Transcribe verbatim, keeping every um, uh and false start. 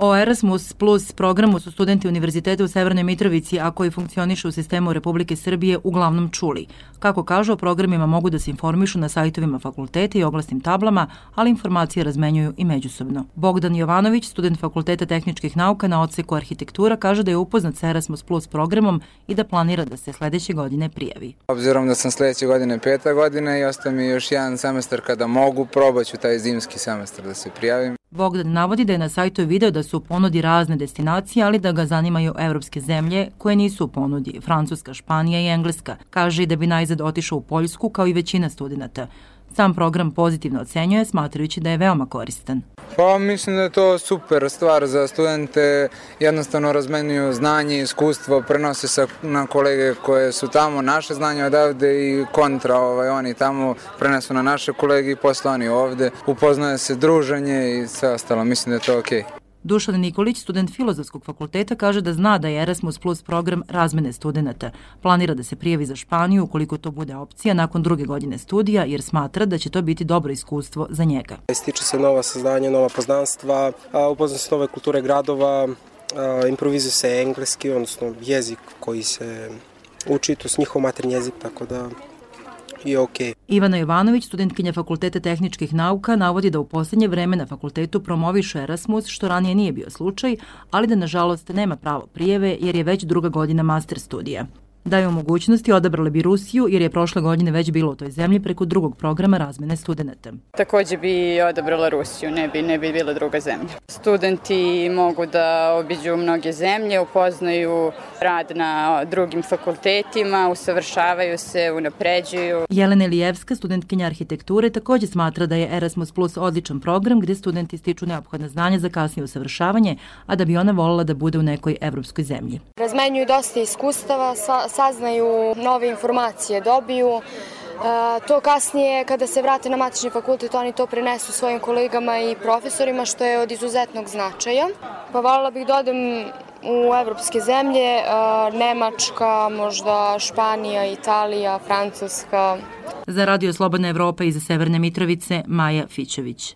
O Erasmus Plus programu su studenti Univerziteta u Severnoj Mitrovici, a koji funkcionišu u sistemu Republike Srbije, uglavnom čuli. Kako kažu, o programima mogu da se informišu na sajtovima fakulteta i oglasnim tablama, ali informacije razmenjuju i međusobno. Bogdan Jovanović, student Fakulteta tehničkih nauka na odseku arhitektura, kaže da je upoznat sa Erasmus Plus programom i da planira da se sledeće godine prijavi. Obzirom da sam sledeće godine peta godina i ostaje mi još jedan semestar kada mogu, probaću taj zimski semestar da se prijavim. Bogdan navodi da je na sajtu video da su u ponudi razne destinacije, ali da ga zanimaju evropske zemlje koje nisu u ponudi, Francuska, Španija i Engleska. Kaže i da bi najzad otišao u Poljsku kao i većina studenta. Sam program pozitivno ocenjuje, smatrajući da je veoma koristan. Pa mislim da je to super stvar za studente, jednostavno razmenjuju znanje i iskustvo, prenose se na kolege koje su tamo, naše znanje odavde i kontra, ovaj, oni tamo prenesu na naše kolege i posle oni ovde, upoznaje se druženje i sve ostalo, mislim da je to okej. Dušan Nikolić, student Filozofskog fakulteta, kaže da zna da je Erasmus Plus program razmene studenta. Planira da se prijavi za Španiju ukoliko to bude opcija nakon druge godine studija, jer smatra da će to biti dobro iskustvo za njega. Stiče se nova saznanja, nova poznanstva, upozna se nove kulture gradova, improvizuje se engleski, odnosno jezik koji se uči, to je njihov maternji jezik, tako da je okej. Ivana Jovanović, studentkinja Fakulteta tehničkih nauka, navodi da u poslednje vreme na fakultetu promoviše Erasmus, što ranije nije bio slučaj, ali da nažalost nema pravo prijave jer je već druga godina master studija. Da je u mogućnosti odabrali bi Rusiju jer je prošle godine već bilo u toj zemlji preko drugog programa razmene studenta. Takođe bi odabrala Rusiju, ne bi, ne bi bila druga zemlja. Studenti mogu da obiđu mnoge zemlje, upoznaju rad na drugim fakultetima, usavršavaju se, unapređuju. Jelena Ilijevska, studentkinja arhitekture, takođe smatra da je Erasmus Plus odličan program gde studenti stiču neophodna znanja za kasnije usavršavanje, a da bi ona voljela da bude u nekoj evropskoj zemlji. Razmenjuju dosta iskustava, saznaju nove informacije, dobiju. E, to kasnije, kada se vrate na matični fakultet, oni to prenesu svojim kolegama i profesorima, što je od izuzetnog značaja. Pa voljela bih da odem u evropske zemlje, e, Nemačka, možda Španija, Italija, Francuska. Za Radio Slobodna Evropa iz Severne Mitrovice, Maja Fićević.